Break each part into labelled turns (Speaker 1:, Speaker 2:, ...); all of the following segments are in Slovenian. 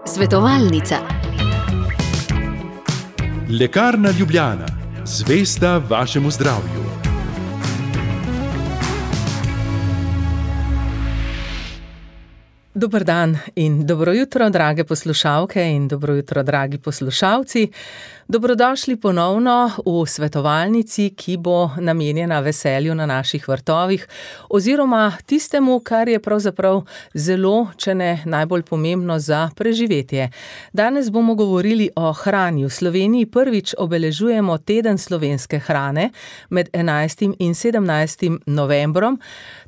Speaker 1: Svetovalnica.
Speaker 2: Lekarna Ljubljana, zvesta vašemu zdravju.
Speaker 3: Dober dan in dobro jutro, drage poslušalke in dobro jutro, dragi poslušalci. Dobrodošli ponovno v svetovalnici, ki bo namenjena veselju na naših vrtovih oziroma tistemu, kar je pravzaprav zelo, če ne najbolj pomembno za preživetje. Danes bomo govorili o hrani. V Sloveniji prvič obeležujemo teden slovenske hrane med 11. in 17. novembrom.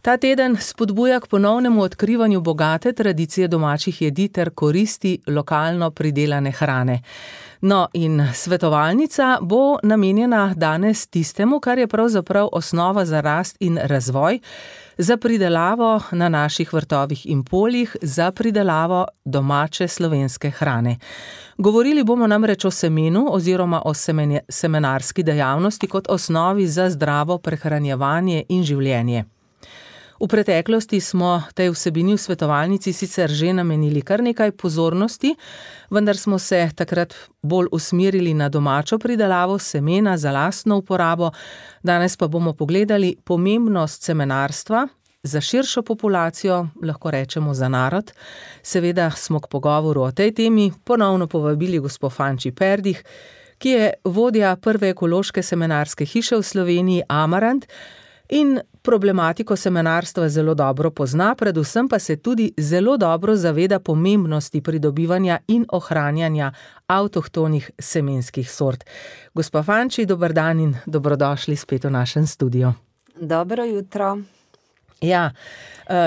Speaker 3: Ta teden spodbuja k ponovnemu odkrivanju bogate tradicije domačih jedi ter koristi lokalno pridelane hrane. No, in svetovalnica bo namenjena danes tistemu, kar je pravzaprav osnova za rast in razvoj, za pridelavo na naših vrtovih in poljih, za pridelavo domače slovenske hrane. Govorili bomo namreč o semenu oziroma o semenarski dejavnosti kot osnovi za zdravo prehranjevanje in življenje. V preteklosti smo tej vsebini v svetovalnici sicer že namenili kar nekaj pozornosti, vendar smo se takrat bolj usmerili na domačo pridelavo semena za lastno uporabo. Danes pa bomo pogledali pomembnost semenarstva za širšo populacijo, lahko rečemo za narod. Seveda smo k pogovoru o tej temi ponovno povabili gospo Fanči Perdih, ki je vodja prve ekološke semenarske hiše v Sloveniji Amarant in problematiko semenarstva zelo dobro pozna, predvsem pa se tudi zelo dobro zaveda pomembnosti pridobivanja in ohranjanja avtohtonih semenskih sort. Gospa Fanči, dober dan in dobrodošli spet v našem studiu.
Speaker 4: Dobro jutro.
Speaker 3: Ja,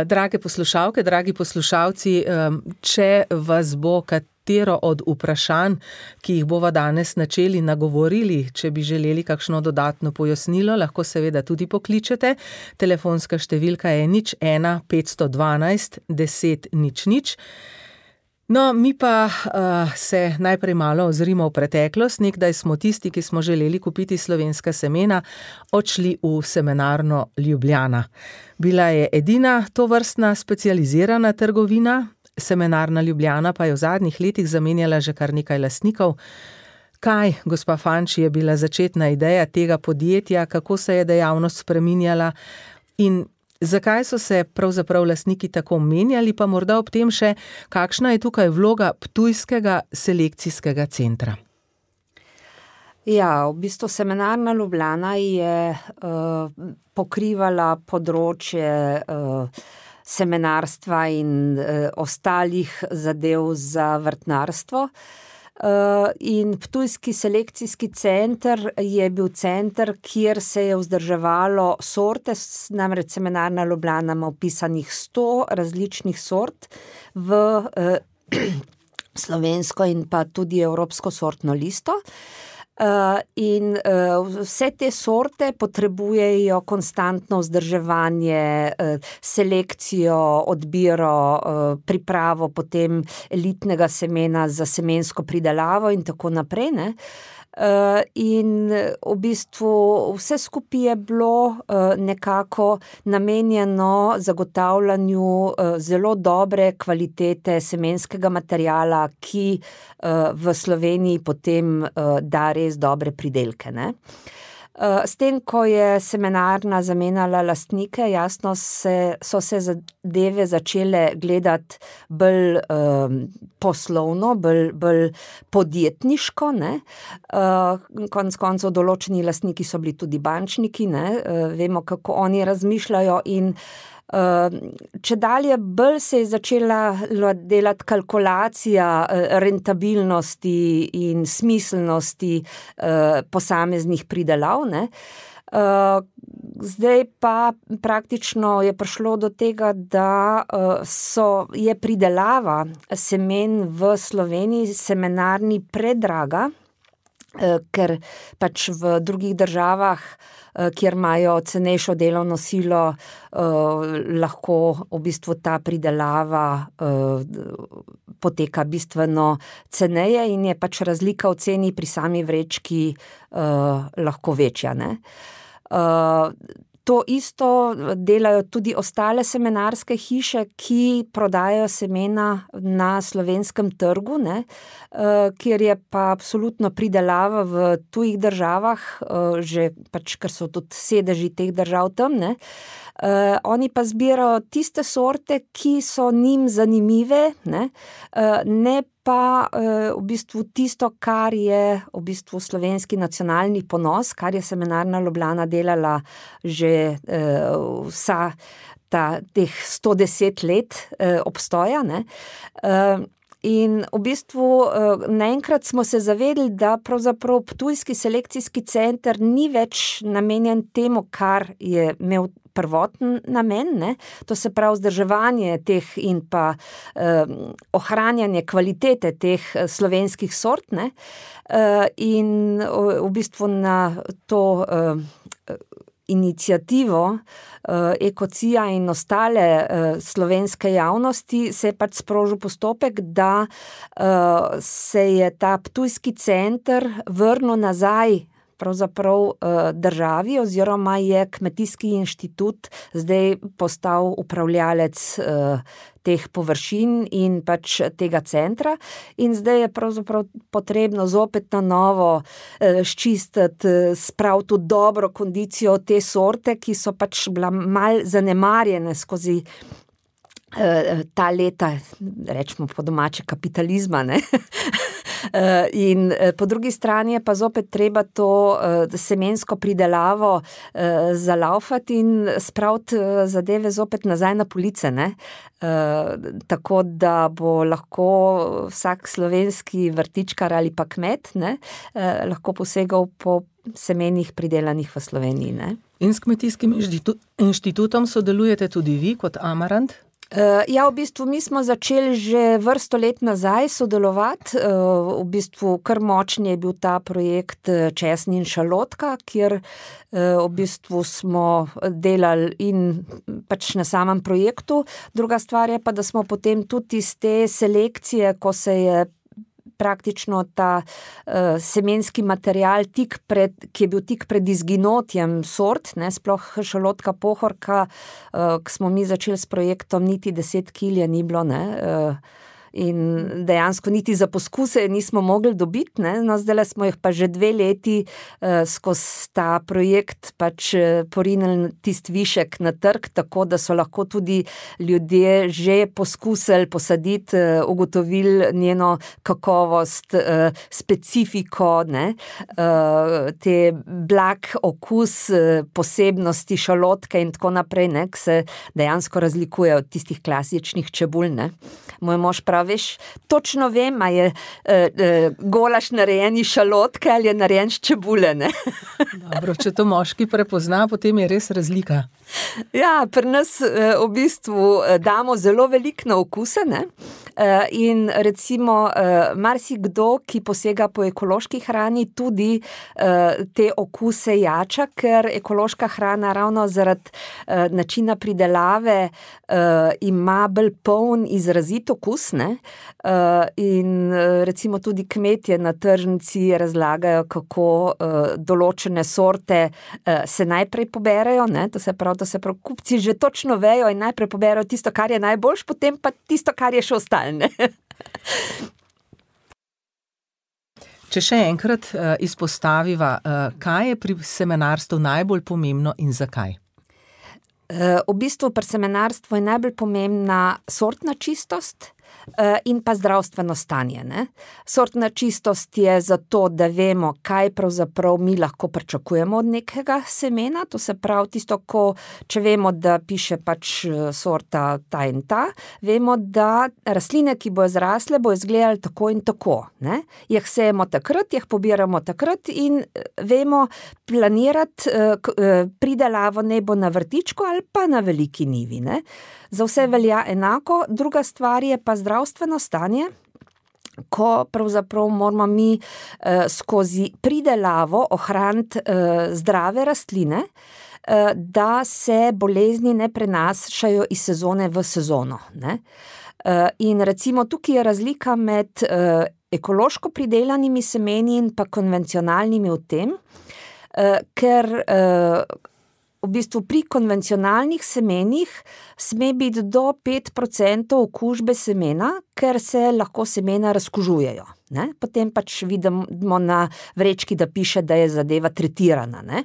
Speaker 3: drage poslušalke, dragi poslušalci, če vas bo katero od vprašanj, ki jih bova danes načeli nagovorili, če bi želeli kakšno dodatno pojasnilo, lahko seveda tudi pokličete. Telefonska številka je 01 512 10 00. No, mi pa se najprej malo ozrimo v preteklost. Nekdaj smo tisti, ki smo želeli kupiti slovenska semena, odšli v semenarno Ljubljana. Bila je edina tovrstna specializirana trgovina, semenarna Ljubljana pa je v zadnjih letih zamenjala že kar nekaj lastnikov. Kaj, gospa Fanči, je bila začetna ideja tega podjetja, kako se je dejavnost spreminjala in zakaj so se pravzaprav lastniki tako menjali, pa morda ob tem še, kakšna je tukaj vloga Ptujskega selekcijskega centra?
Speaker 4: Ja, v bistvu semenarna Ljubljana je pokrivala področje semenarstva in ostalih zadev za vrtnarstvo. In Ptujski selekcijski center je bil center, kjer se je vzdrževalo sorte, namreč semenarna Ljubljana ima vpisanih 100 različnih sort v slovensko in pa tudi evropsko sortno listo. In vse te sorte potrebujejo konstantno vzdrževanje, selekcijo, odbiro, pripravo potem elitnega semena za semensko pridelavo in tako naprej, ne. In v bistvu vse skupaj je bilo nekako namenjeno zagotavljanju zelo dobre kvalitete semenskega materiala, ki v Sloveniji potem da res dobre pridelke, ne. S tem, ko je semenarna zamenjala lastnike, jasno so se zadeve začele gledati bolj poslovno, bolj podjetniško, ne. Konec koncev določeni lastniki so bili tudi bančniki, ne. Vemo, kako oni razmišljajo in čedalje bolj se je začela delati kalkulacija rentabilnosti in smiselnosti posameznih pridelav, ne. Zdaj pa praktično je prišlo do tega, da je pridelava semen v Sloveniji semenarni predraga, ker pač v drugih državah, kjer imajo cenejšo delovno silo, lahko v bistvu ta pridelava poteka bistveno ceneje in je pač razlika v ceni pri sami vrečki lahko večja, ne. To isto delajo tudi ostale semenarske hiše, ki prodajajo semena na slovenskem trgu, ne, kjer je pa absolutno pridelava v tujih državah, že pač, ker so tudi sedeži teh držav tam, ne. Oni pa zbirajo tiste sorte, ki so njim zanimive, ne pa v bistvu tisto, kar je v bistvu slovenski nacionalni ponos, kar je Semenarna Ljubljana delala že vsa teh 110 let obstoja, ne. In v bistvu naenkrat smo se zavedali, da pravzaprav Ptujski selekcijski center ni več namenjen temu, kar je imel prvoten namen, ne, to se pravi vzdrževanje teh in pa ohranjanje kvalitete teh slovenskih sort, ne, in v bistvu na to iniciativo Ekocija in ostale slovenske javnosti se je pač sprožil postopek, da se je ta Ptujski center vrnil nazaj pravzaprav državi, oziroma je Kmetijski inštitut zdaj postal upravljalec teh površin in pač tega centra, in zdaj je pravzaprav potrebno zopet na novo sčistiti, spraviti v dobro kondicijo te sorte, ki so pač bila malo zanemarjene skozi ta leta, rečemo po domače, kapitalizma, ne. In po drugi strani je pa zopet treba to semensko pridelavo zalaufati in spraviti zadeve zopet nazaj na police, ne. Tako da bo lahko vsak slovenski vrtičkar ali pa kmet, ne, lahko posegal po semenih pridelanih v Sloveniji, ne.
Speaker 3: In s Kmetijskim inštitutom sodelujete tudi vi kot Amarant?
Speaker 4: Ja, v bistvu mi smo začeli že vrsto let nazaj sodelovati, v bistvu kar močen je bil ta projekt Česen in šalotka, kjer v bistvu smo delali in pač na samem projektu. Druga stvar je pa, da smo potem tudi iz te selekcije, ko se je praktično ta semenski material ki je bil tik pred izginotjem sort, ne, sploh šalotka pohorka, ko smo mi začeli s projektom, niti 10 kil je ni bilo, ne, in dejansko niti za poskuse nismo mogli dobiti, ne, no zdajle smo jih pa že 2 leti skozi ta projekt pač porinili tisti višek na trg, tako da so lahko tudi ljudje že poskusili posaditi, ugotovili njeno kakovost, specifiko, ne, te blag okus, posebnosti šalotke in tako naprej, ne, ki se dejansko razlikuje od tistih klasičnih čebul, ne. Moj mož pravi, veš, točno vem, a je golaž narejen iz šalotke ali je narejen iz čebule, ne.
Speaker 3: Dobro, če to moški prepozna, potem je res razlika.
Speaker 4: Ja, pri nas v bistvu damo zelo veliko na okuse, ne, in recimo marsikdo, ki posega po ekološki hrani, tudi te okuse jača, ker ekološka hrana ravno zaradi načina pridelave ima bolj poln, izrazit okus, ne, in recimo tudi kmetje na tržnici razlagajo, kako določene sorte se najprej poberejo, ne, to se pravi, kupci že točno vejo in najprej poberejo tisto, kar je najboljš, potem pa tisto, kar je še ostalo, ne.
Speaker 3: Če še enkrat izpostaviva, kaj je pri semenarstvu najbolj pomembno in zakaj?
Speaker 4: V bistvu pri semenarstvu je najbolj pomembna sortna čistost in pa zdravstveno stanje, ne. Sortna čistost je zato, da vemo, kaj pravzaprav mi lahko pričakujemo od nekega semena, to se pravi tisto, če vemo, da piše pač sorta ta in ta, vemo, da rastline, ki bojo zrasle, bojo izgledali tako in tako, ne. Jih sejemo takrat, jih pobiramo takrat in vemo planirati pridelavo naj bo na vrtičku ali pa na veliki njivi, ne. Za vse velja enako, druga stvar je pa zdravstveno stanje, ko pravzaprav moramo mi skozi pridelavo ohraniti zdrave rastline, da se bolezni ne prenašajo iz sezone v sezono, ne. In recimo tukaj je razlika med ekološko pridelanimi semeni in pa konvencionalnimi v tem, ker v bistvu pri konvencionalnih semenih sme biti do 5% okužbe semena, ker se lahko semena razkužujejo. Ne? Potem pač vidimo na vrečki, da piše, da je zadeva tretirana. Ne?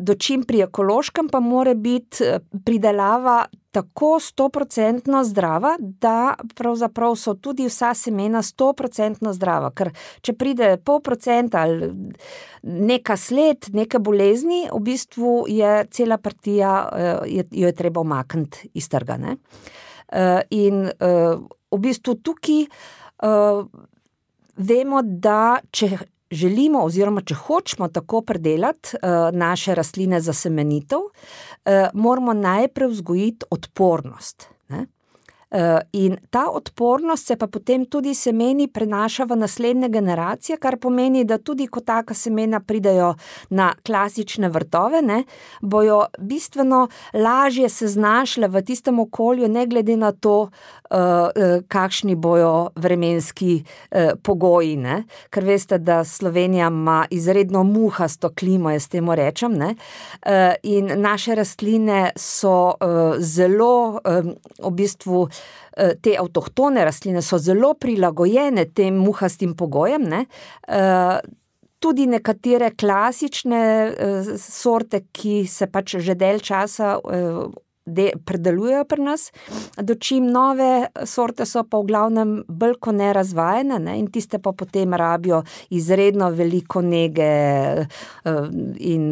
Speaker 4: Dočim pri ekološkem pa mora biti pridelava tako 100% zdrava, da pravzaprav so tudi vsa semena 100% zdrava. Ker če pride 0,5% ali neka sled, neke bolezni, v bistvu je cela partija, jo je treba umakniti iz trga. Ne? In v bistvu tukaj vemo, da če želimo oziroma če hočemo tako predelati naše rastline za semenitev, moramo najprej vzgojiti odpornost. Ne? In ta odpornost se pa potem tudi semeni prenaša v naslednje generacije, kar pomeni, da tudi ko taka semena pridejo na klasične vrtove, ne, bojo bistveno lažje se znašle v tistem okolju, ne glede na to, kakšni bojo vremenski pogoji. Ne. Ker veste, da Slovenija ima izredno muhasto klimo, jaz temu rečem, ne. In naše rastline so zelo v bistvu te avtohtone rastline so zelo prilagojene tem muhastim pogojem, ne. Tudi nekatere klasične sorte, ki se pač že dalj časa predelujejo pri nas, dočim nove sorte so pa v glavnem bolj kot ne razvajene, ne, in tiste pa potem rabijo izredno veliko nege in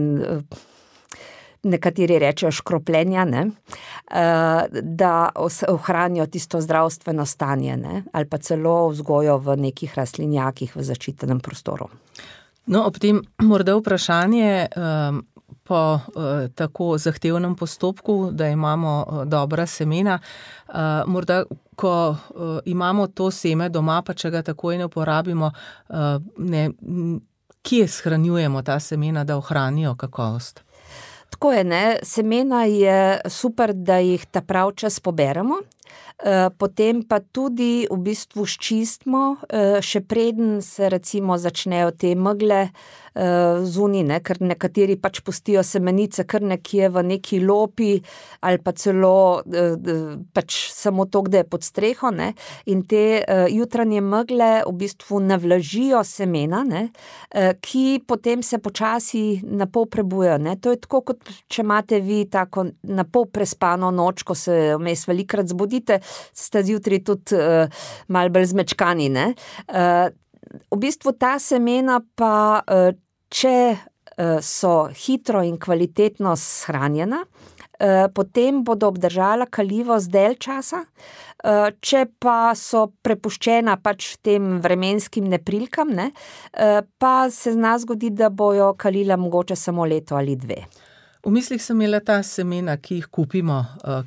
Speaker 4: nekateri rečejo škropljenja, ne, da ohranijo tisto zdravstveno stanje, ne, ali pa celo vzgojo v nekih rastlinjakih v zaščitenem prostoru.
Speaker 3: No, ob tem morda vprašanje po tako zahtevnem postopku, da imamo dobra semena, morda, ko imamo to seme doma, pa če ga takoj ne uporabimo, kje shranjujemo ta semena, da ohranijo kakovost?
Speaker 4: Tako je, ne, semena je super, da jih ta prav čas poberemo, potem pa tudi v bistvu sčistimo, še preden se recimo začnejo te megle zunaj, ne, ker nekateri pač pustijo semenice kar nekje v neki lopi ali pa celo pač samo to, da je pod streho, ne, in te jutranje megle v bistvu navlažijo semena, ne, ki potem se počasi napol prebujajo, ne. To je tako, kot če imate vi tako napol prespano noč, ko se vmes velikokrat zbudite, ste zjutraj tudi malo bolj zmečkani, ne. V bistvu ta semena pa, če so hitro in kvalitetno shranjena, potem bodo obdržala kalivost dalj časa, če pa so prepuščena pač tem vremenskim neprilikam, ne, pa se zna zgoditi, da bojo kalila mogoče samo leto ali dve.
Speaker 3: V mislih sem imela ta semena, ki jih kupimo,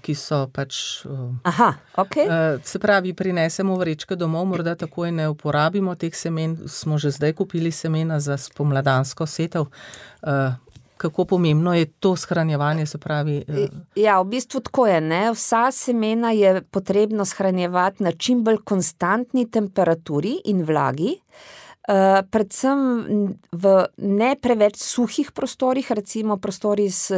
Speaker 3: ki so pač...
Speaker 4: Aha, okej.
Speaker 3: Se pravi, prinesemo vrečke domov, morda takoj ne uporabimo teh semen, smo že zdaj kupili semena za spomladansko setev. Kako pomembno je to shranjevanje, se pravi...
Speaker 4: Ja, v bistvu tako je, ne, vsa semena je potrebno shranjevati na čim bolj konstantni temperaturi in vlagi, predvsem v ne preveč suhih prostorih, recimo prostori s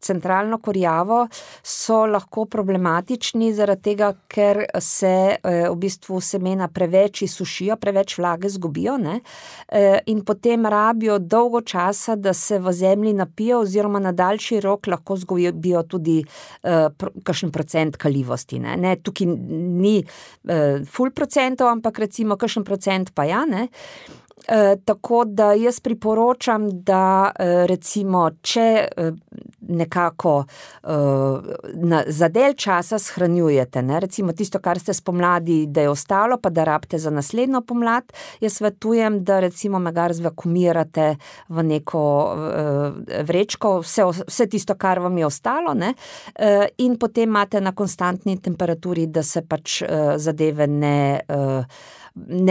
Speaker 4: centralno kurjavo so lahko problematični zaradi tega, ker se v bistvu semena preveč izsušijo, preveč vlage zgubijo, ne, in potem rabijo dolgo časa, da se v zemlji napijo oziroma na daljši rok lahko zgubijo tudi kakšen procent kalivosti, ne. Ne, tukaj ni ful procentov, ampak recimo kakšen procent pa ja, ne. Tako da jaz priporočam, da recimo, če nekako za dalj časa shranjujete, ne, recimo tisto, kar ste spomladi, da je ostalo, pa da rabite za naslednjo pomlad, jaz svetujem, da recimo megar zvakuumirate v neko vrečko, vse tisto, kar vam je ostalo, ne, in potem imate na konstantni temperaturi, da se pač zadeve ne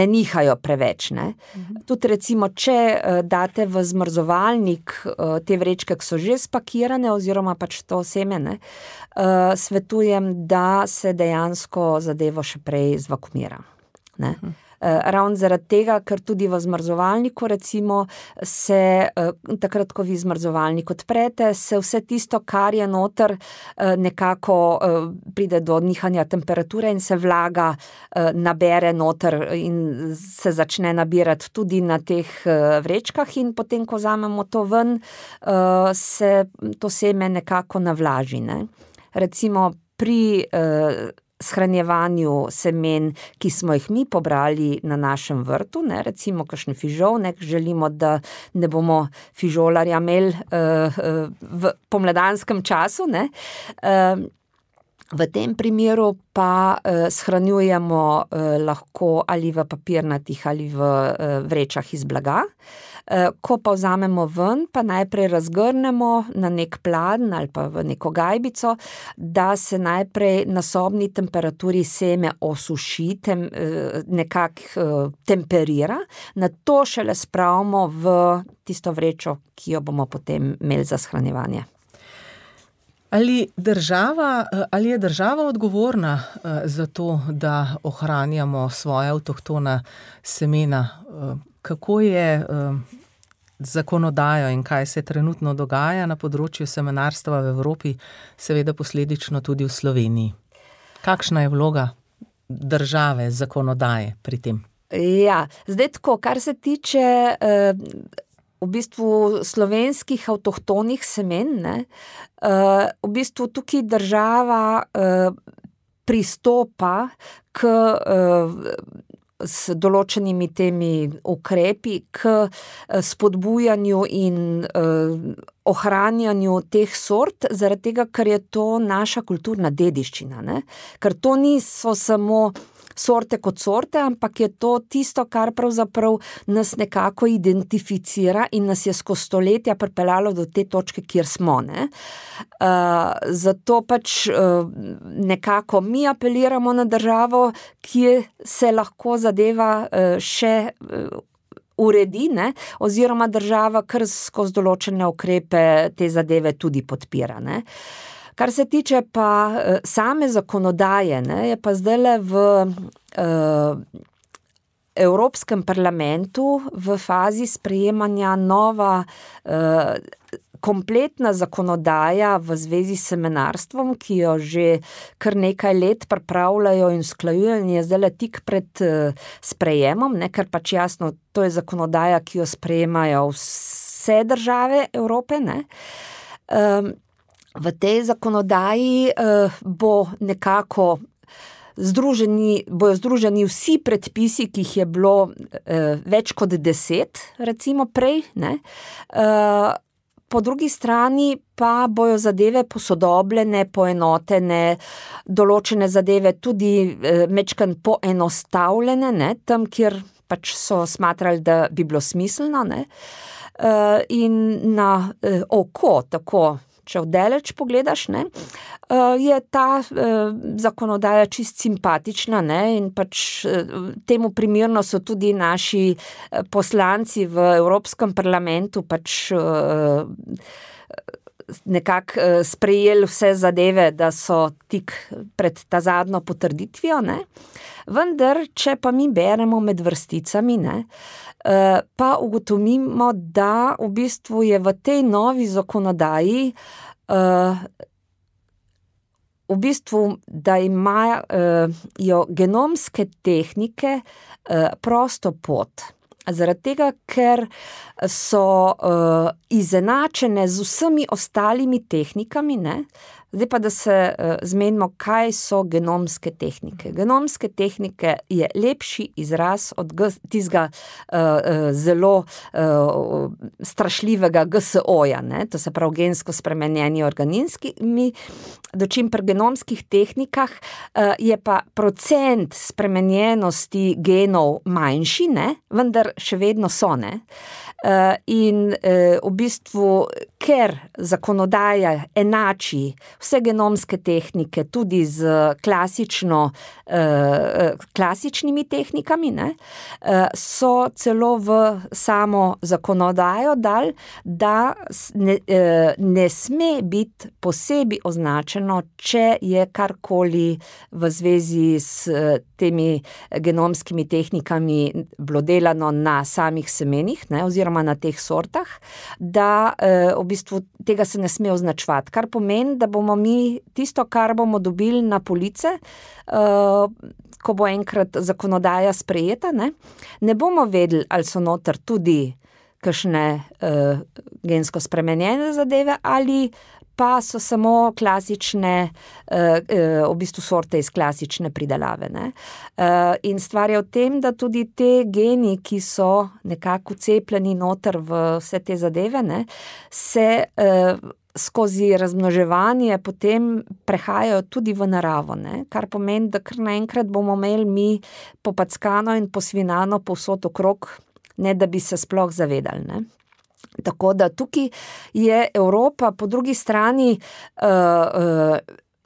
Speaker 4: nihajo preveč, ne. Tudi recimo, če date v zmrzovalnik te vrečke, ki so že spakirane oziroma pač to seme, ne, svetujem, da se dejansko zadevo še prej zvakuumira, ne. Ravno zaradi tega, ker tudi v zmrzovalniku recimo se takrat, ko vi zmrzovalnik odprete, se vse tisto, kar je noter, nekako pride do nihanja temperature in se vlaga nabere noter in se začne nabirati tudi na teh vrečkah in potem, ko vzamemo to ven, se to seme nekako navlaži, ne. Recimo pri shranjevanju semen, ki smo jih mi pobrali na našem vrtu, ne, recimo kakšen fižol, ne, želimo, da ne bomo fižolarja imeli v pomladanskem času, ne. V tem primeru pa shranjujemo lahko ali v papirnatih ali v vrečah iz blaga. Ko pa vzamemo ven, pa najprej razgrnemo na nek pladenj ali pa v neko gajbico, da se najprej na sobni temperaturi seme osuši, nekako temperira, nato šele spravimo v tisto vrečo, ki jo bomo potem imeli za shranjevanje.
Speaker 3: Ali je država odgovorna za to, da ohranjamo svoja avtohtona semena? Kako je zakonodajo in kaj se trenutno dogaja na področju semenarstva v Evropi, seveda posledično tudi v Sloveniji? Kakšna je vloga države, zakonodaje pri tem?
Speaker 4: Ja, zdaj tako, kar se tiče v bistvu slovenskih avtohtonih semen, ne, v bistvu tukaj država pristopa k s določenimi temi ukrepi k spodbujanju in ohranjanju teh sort, zaradi tega, ker je to naša kulturna dediščina, ne. Ker to niso samo sorte kot sorte, ampak je to tisto, kar pravzaprav nas nekako identificira in nas je skozi stoletja pripeljalo do te točke, kjer smo, ne. Zato pač nekako mi apeliramo na državo, kje se lahko zadeva še uredi, ne, oziroma država kar skozi določene ukrepe te zadeve tudi podpira, ne. Kar se tiče pa same zakonodaje, ne, je pa zdajle v Evropskem parlamentu v fazi sprejemanja nova kompletna zakonodaja v zvezi s semenarstvom, ki jo že kar nekaj let pripravljajo in usklajujejo in je zdajle tik pred sprejemom, ne, ker pač jasno, to je zakonodaja, ki jo sprejemajo vse države Evrope, ne. V tej zakonodaji bo nekako bojo združeni vsi predpisi, ki jih je bilo več kot 10, recimo prej, ne. Po drugi strani pa bojo zadeve posodobljene, poenotene, določene zadeve tudi majčkeno poenostavljene, ne, tam, kjer pač so smatrali, da bi bilo smiselno, ne. In na oko, tako, če vdaleč pogledaš, ne, je ta zakonodaja čisto simpatična, ne, in pač temu primerno so tudi naši poslanci v Evropskem parlamentu pač nekako sprejeli vse zadeve, da so tik pred ta zadnjo potrditvijo, ne. Vendar, če pa mi beremo med vrsticami, ne, pa ugotovimo, da v bistvu je v tej novi zakonodaji v bistvu, da imajo genomske tehnike prosto pot. Zaradi tega, ker so izenačene z vsemi ostalimi tehnikami, ne. Zdaj pa, da se zmenimo, kaj so genomske tehnike. Genomske tehnike je lepši izraz od tistega zelo strašljivega GSO-ja, ne, to se pravi gensko spremenjeni organizmi, dočim pri genomskih tehnikah je pa procent spremenjenosti genov manjši, ne, vendar še vedno so, ne. In v bistvu, ker zakonodaja enači vse genomske tehnike, tudi z klasičnimi tehnikami, ne, so celo v samo zakonodajo dali, da ne sme biti posebej označeno, če je karkoli v zvezi s temi genomskimi tehnikami bilo delano na samih semenih, ne, oziroma na teh sortah, da v bistvu tega se ne sme označevati, kar pomeni, da bomo mi tisto, kar bomo dobili na police, ko bo enkrat zakonodaja sprejeta, ne bomo vedeli, ali so noter tudi kakšne gensko spremenjene zadeve ali pa so samo klasične, v bistvu sorte iz klasične pridelave. Ne. In stvar je v tem, da tudi te geni, ki so nekako cepljeni noter v vse te zadeve, ne, se skozi razmnoževanje potem prehajajo tudi v naravo, ne, kar pomeni, da kar naenkrat bomo imeli mi popackano in posvinano povsod okrog, ne da bi se sploh zavedali, ne. Tako da tukaj je Evropa po drugi strani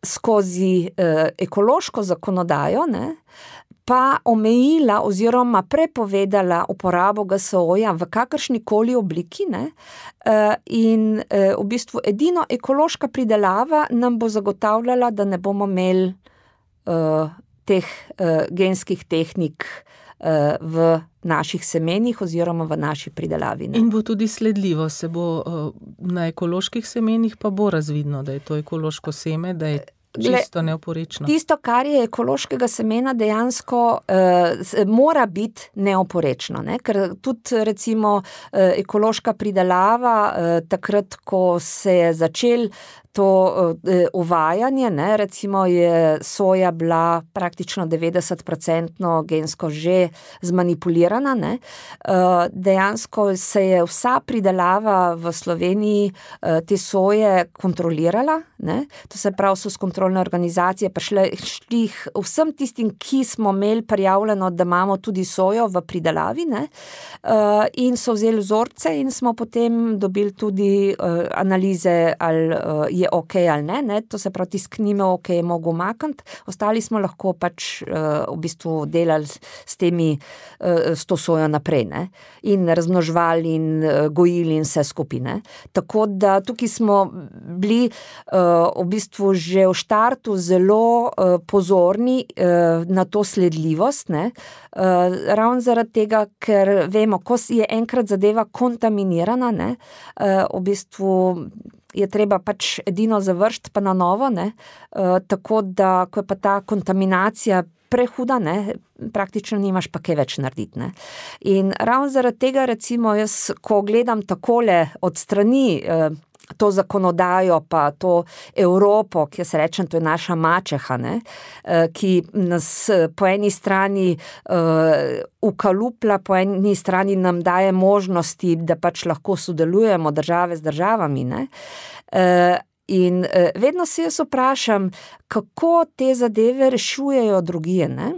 Speaker 4: skozi ekološko zakonodajo, ne, pa omejila oziroma prepovedala uporabo GSO-ja v kakršnikoli obliki, ne, in v bistvu edino ekološka pridelava nam bo zagotavljala, da ne bomo imeli teh genskih tehnik v naših semenih oziroma v naši pridelavi. Ne.
Speaker 3: In bo tudi sledljivo, se bo na ekoloških semenih pa bo razvidno, da je to ekološko seme, da je čisto neoporečno.
Speaker 4: Tisto, kar je ekološkega semena, dejansko mora biti neoporečno, ne? Ker tudi recimo ekološka pridelava, takrat, ko se je začel to uvajanje, ne, recimo je soja bila praktično 90% gensko že zmanipulirana, ne, dejansko se je vsa pridelava v Sloveniji te soje kontrolirala, ne, to se pravi, so s kontrolne organizacije prišli vsem tistim, ki smo imeli prijavljeno, da imamo tudi sojo v pridelavi, ne, in so vzeli vzorce in smo potem dobili tudi analize, ali je ok ali ne, to se pravi, tisknime ok je mogel umakniti, ostali smo lahko pač v bistvu delali s to sojo naprej, ne, in razmnoževali in gojili in vse skupaj, ne. Tako da tukaj smo bili v bistvu že v štartu zelo pozorni na to sledljivost, ne, ravno zaradi tega, ker vemo, ko je enkrat zadeva kontaminirana, ne, v bistvu je treba pač edino završiti pa na novo, ne, tako da, ko je pa ta kontaminacija prehuda, ne, praktično nimaš pa kaj več narediti, ne. In ravno zaradi tega, recimo, jaz, ko gledam takole od strani to zakonodajo, pa to Evropo, ki jaz rečem, to je naša mačeha, ne, ki nas po eni strani ukalupla, po eni strani nam daje možnosti, da pač lahko sodelujemo države z državami, ne. In vedno se jaz vprašam, kako te zadeve rešujejo drugje, ne.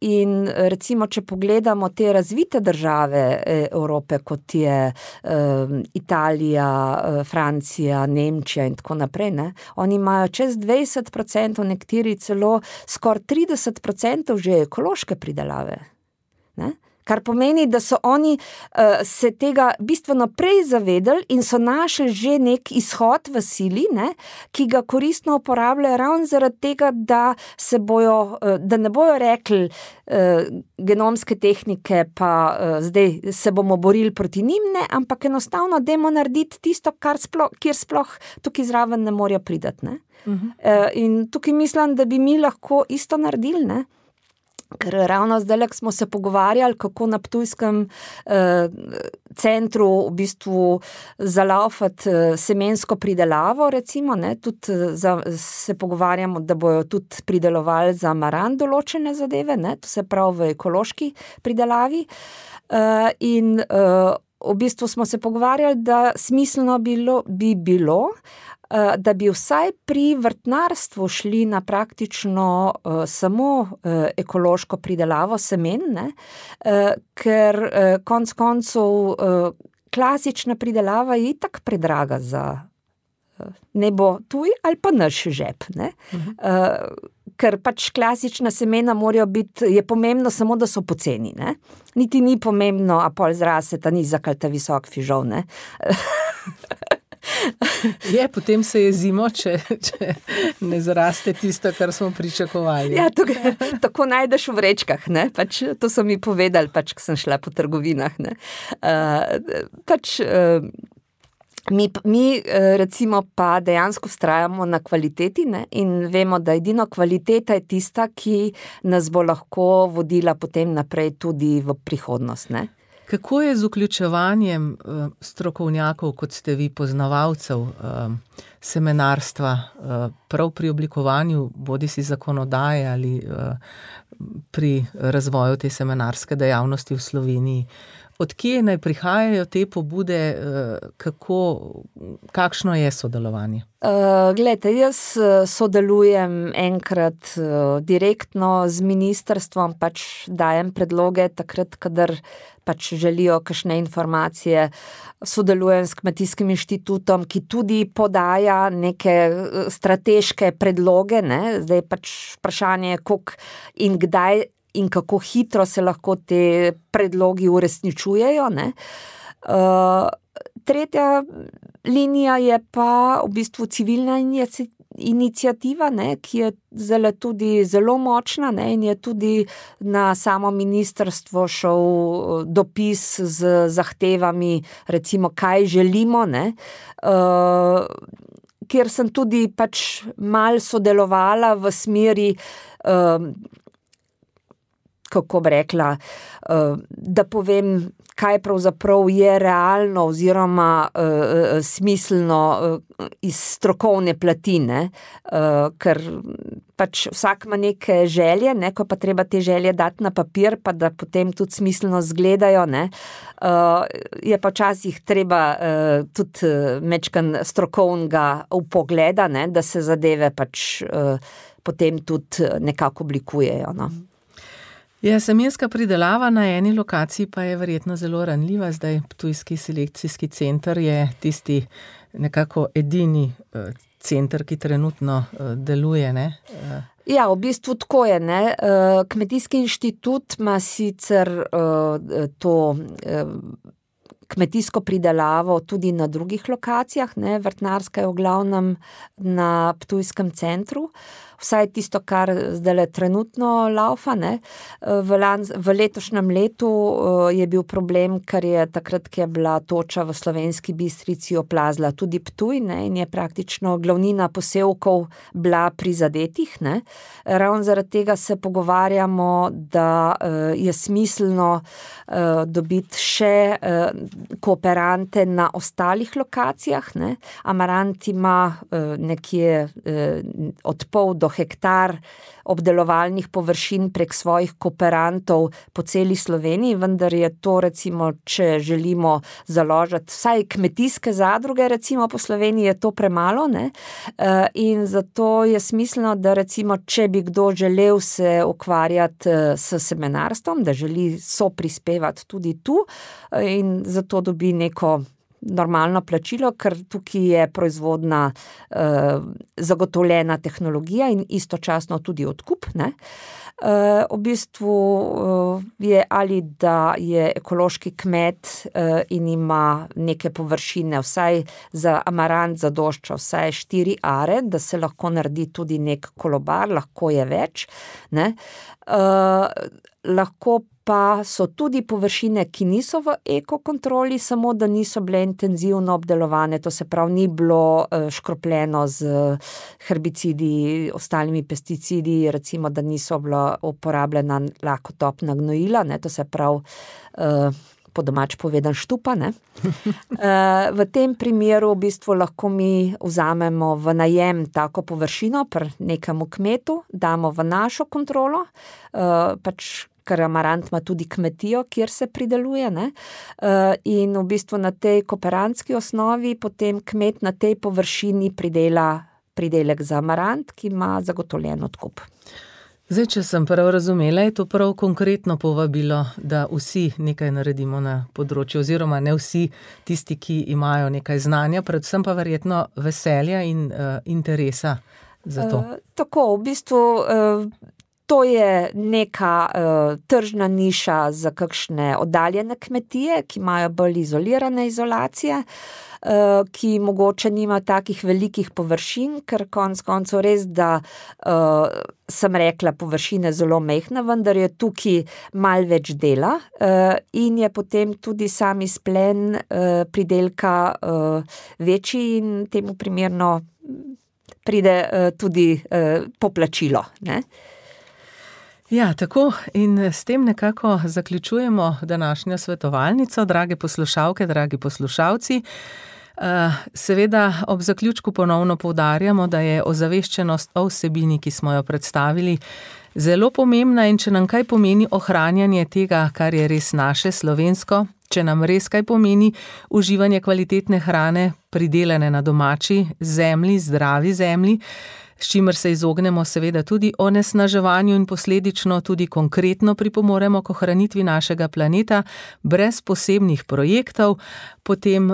Speaker 4: In recimo, če pogledamo te razvite države Evrope, kot je Italija, Francija, Nemčija in tako naprej, ne, oni imajo čez 20%, nekateri celo skoraj 30% že ekološke pridelave, ne. Kar pomeni, da so oni se tega bistveno prej zavedali in so našli že nek izhod v sili, ne, ki ga koristno uporabljajo ravno zaradi tega, da ne bojo rekli genomske tehnike, pa zdaj se bomo borili proti njim, ne, ampak enostavno dajmo narediti tisto, kjer sploh tukaj zraven ne morejo priti, ne. In tukaj mislim, da bi mi lahko isto naredili, ne. Ker ravno zdaj smo se pogovarjali, kako na ptujskem centru v bistvu zalaufati semensko pridelavo, recimo, ne, tudi se pogovarjamo, da bojo tudi pridelovali za maran določene zadeve, ne, to se pravi v ekološki pridelavi, in v bistvu smo se pogovarjali, da smiselno bi bilo, da bi vsaj pri vrtnarstvu šli na praktično samo ekološko pridelavo semen, ne, ker konec koncev klasična pridelava je itak predraga za ne bo tuj ali pa naš žep, ne. Ker pač klasična semena morajo biti, je pomembno samo, da so poceni, ne. Niti ni pomembno, a pol zraste ta nizak ali ta visok fižol, ne.
Speaker 3: Je, potem se je zimo, če ne zraste tisto, kar smo pričakovali.
Speaker 4: Ja, tako najdeš v vrečkah, ne, pač to so mi povedali, pač, ko sem šla po trgovinah, ne. Mi recimo pa dejansko vztrajamo na kvaliteti, ne, in vemo, da edino kvaliteta je tista, ki nas bo lahko vodila potem naprej tudi v prihodnost, ne.
Speaker 3: Kako je z vključevanjem strokovnjakov, kot ste vi, poznavalcev semenarstva, prav pri oblikovanju bodisi zakonodaje ali pri razvoju te semenarske dejavnosti v Sloveniji? Od kje naj prihajajo te pobude, kakšno je sodelovanje?
Speaker 4: Glejte, jaz sodelujem enkrat direktno z ministrstvom, pač dajem predloge takrat, kadar pač želijo kakšne informacije, sodelujem s Kmetijskim inštitutom, ki tudi podaja neke strateške predloge, ne, zdaj pač vprašanje, koliko in kdaj in kako hitro se lahko te predlogi uresničujejo, ne. Tretja linija je pa v bistvu civilna iniciativa, ne, ki je zdajle tudi zelo močna, ne, in je tudi na samo ministrstvo šel dopis z zahtevami, recimo, kaj želimo, ne, kjer sem tudi pač malo sodelovala v smeri, kako bi rekla, da povem, kaj pravzaprav je realno oziroma smiselno iz strokovne plati, ne, ker pač vsak ima neke želje, ne, ko pa treba te želje dati na papir, pa da potem tudi smiselno izgledajo, ne, je pa včasih treba tudi majčkeno strokovnega vpogleda, ne, da se zadeve pač potem tudi nekako oblikujejo, no.
Speaker 3: Ja, semenska pridelava na eni lokaciji pa je verjetno zelo ranljiva, zdaj Ptujski selekcijski center je tisti nekako edini center, ki trenutno deluje, ne?
Speaker 4: Ja, v bistvu tako je, ne. Kmetijski inštitut ima sicer to kmetijsko pridelavo tudi na drugih lokacijah, ne, vrtnarska je v glavnem na Ptujskem centru, vsaj tisto, kar zdajle trenutno laufa, ne. V letošnjem letu je bil problem, ker je takrat, ko je bila toča v Slovenski Bistrici, oplazila tudi Ptuj, ne, in je praktično glavnina posevkov bila prizadetih, ne. Ravno zaradi tega se pogovarjamo, da je smiselno dobiti še kooperante na ostalih lokacijah, ne. Amarant ima nekje od pol do hektar obdelovalnih površin prek svojih kooperantov po celi Sloveniji, vendar je to recimo, če želimo založiti vsaj kmetijske zadruge recimo po Sloveniji, je to premalo, ne. In zato je smiselno, da recimo, če bi kdo želel se ukvarjati s semenarstvom, da želi soprispevati tudi tu in zato dobi neko normalno plačilo, ker tukaj je proizvodna zagotovljena tehnologija in istočasno tudi odkup, ne. V bistvu je ali da je ekološki kmet in ima neke površine, vsaj za amarant zadošča vsaj 4 are, da se lahko naredi tudi nek kolobar, lahko je več, ne. Lahko pa so tudi površine, ki niso v ekokontroli, samo da niso bile intenzivno obdelovane, to se pravi, ni bilo škropljeno z herbicidi, ostalimi pesticidi, recimo, da niso bila uporabljena lakotopna gnojila, ne, to se pravi, po domač povedan štupa, ne. V tem primeru v bistvu lahko mi vzamemo v najem tako površino pri nekemu kmetu, damo v našo kontrolo, pač ker amarant ima tudi kmetijo, kjer se prideluje, ne, in v bistvu na tej kooperantski osnovi potem kmet na tej površini pridela pridelek za amarant, ki ima zagotovljen odkup.
Speaker 3: Zdaj, če sem prav razumela, je to prav konkretno povabilo, da vsi nekaj naredimo na področju, oziroma ne vsi tisti, ki imajo nekaj znanja, predvsem pa verjetno veselja in interesa za to.
Speaker 4: Tako, v bistvu to je neka tržna niša za kakšne oddaljene kmetije, ki imajo bolj izolirane izolacije, ki mogoče nimajo takih velikih površin, ker konec koncev res, da sem rekla, površine zelo mehna, vendar je tukaj malo več dela in je potem tudi sam izplen pridelka večji in temu primerno pride tudi poplačilo, ne?
Speaker 3: Ja, tako in s tem nekako zaključujemo današnjo svetovalnico, drage poslušalke, dragi poslušalci. Seveda ob zaključku ponovno poudarjamo, da je ozaveščenost o vsebini, ki smo jo predstavili, zelo pomembna in če nam kaj pomeni ohranjanje tega, kar je res naše, slovensko, če nam res kaj pomeni uživanje kvalitetne hrane, pridelane na domači zemlji, zdravi zemlji, s čimer se izognemo seveda tudi onesnaževanju in posledično tudi konkretno pripomoremo k ohranitvi našega planeta brez posebnih projektov, potem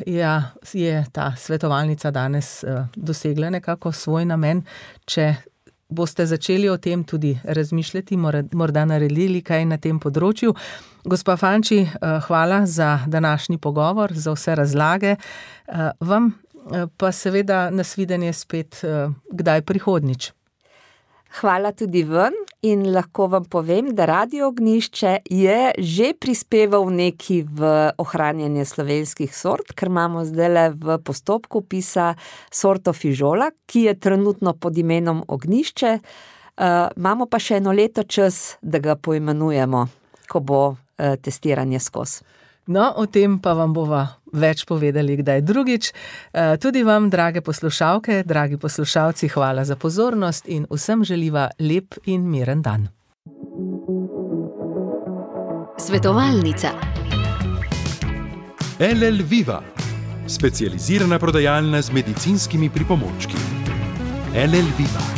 Speaker 3: je ta svetovalnica danes dosegla nekako svoj namen. Če boste začeli o tem tudi razmišljati, morda naredili kaj na tem področju. Gospa Fanči, hvala za današnji pogovor, za vse razlage. Vam pa seveda nasvidenje spet kdaj prihodnjič.
Speaker 4: Hvala tudi vam in lahko vam povem, da Radio Ognjišče je že prispeval nekaj v ohranjanje slovenskih sort, ker imamo zdajle v postopku vpisa sorto fižola, ki je trenutno pod imenom Ognjišče. Imamo pa še 1 leto čas, da ga poimenujemo, ko bo testiranje skozi.
Speaker 3: No, o tem pa vam bova več povedali kdaj drugič. Tudi vam, drage poslušalke, dragi poslušalci, hvala za pozornost in vsem želiva lep in miren dan.
Speaker 1: Svetovalnica.
Speaker 2: LL Viva, specializirana prodajalna z medicinskimi pripomočki. LL Viva.